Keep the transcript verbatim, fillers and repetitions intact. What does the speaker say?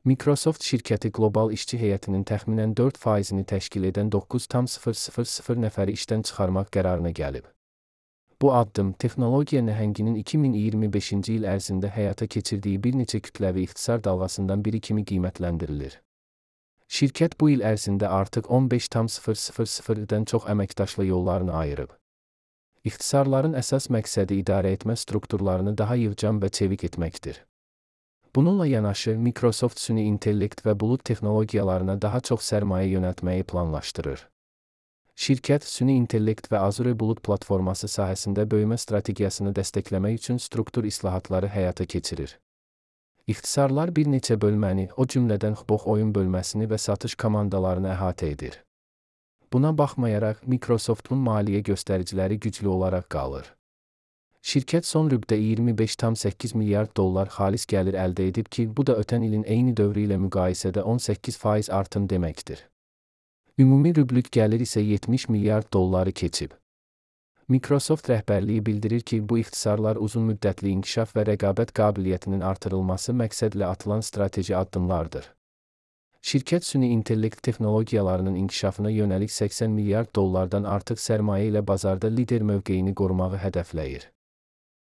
Microsoft şirkəti qlobal işçi heyətinin təxminən dörd faizini təşkil edən doqquz min nəfəri işdən çıxarmaq qərarına gəlib. Bu addım, texnologiya nəhənginin iki min iyirmi beşinci il ərzində həyata keçirdiyi bir neçə kütləvi ixtisar dalğasından biri kimi qiymətləndirilir. Şirkət bu il ərzində artıq on beş min-dən çox əməkdaşla yollarını ayırıb. İxtisarların əsas məqsədi idarə etmə strukturlarını daha yığcam və çevik etməkdir. Bununla yanaşı, Microsoft süni intellekt və bulud texnologiyalarına daha çox sərmayə yönəltməyi planlaşdırır. Şirkət, süni intellekt və Azure bulud platforması sahəsində böyümə strategiyasını dəstəkləmək üçün struktur islahatları həyata keçirir. İxtisarlar bir neçə bölməni, o cümlədən xbox oyun bölməsini və satış komandalarını əhatə edir. Buna baxmayaraq, Microsoftun maliyyə göstəriciləri güclü olaraq qalır. Şirkət son rübdə iyirmi beş min səkkiz yüz milyard dollar xalis gəlir əldə edib ki, bu da ötən ilin eyni dövrü ilə müqayisədə on səkkiz faiz artım deməkdir. Ümumi rüblük gəlir isə yetmiş milyard dolları keçib. Microsoft rəhbərliyi bildirir ki, bu ixtisarlar uzunmüddətli inkişaf və rəqabət qabiliyyətinin artırılması məqsədlə atılan strateji addımlardır. Şirkət süni intellekt texnologiyalarının inkişafına yönəlik səksən milyard dollardan artıq sərmayə ilə bazarda lider mövqeyini qorumağı hədəfləyir.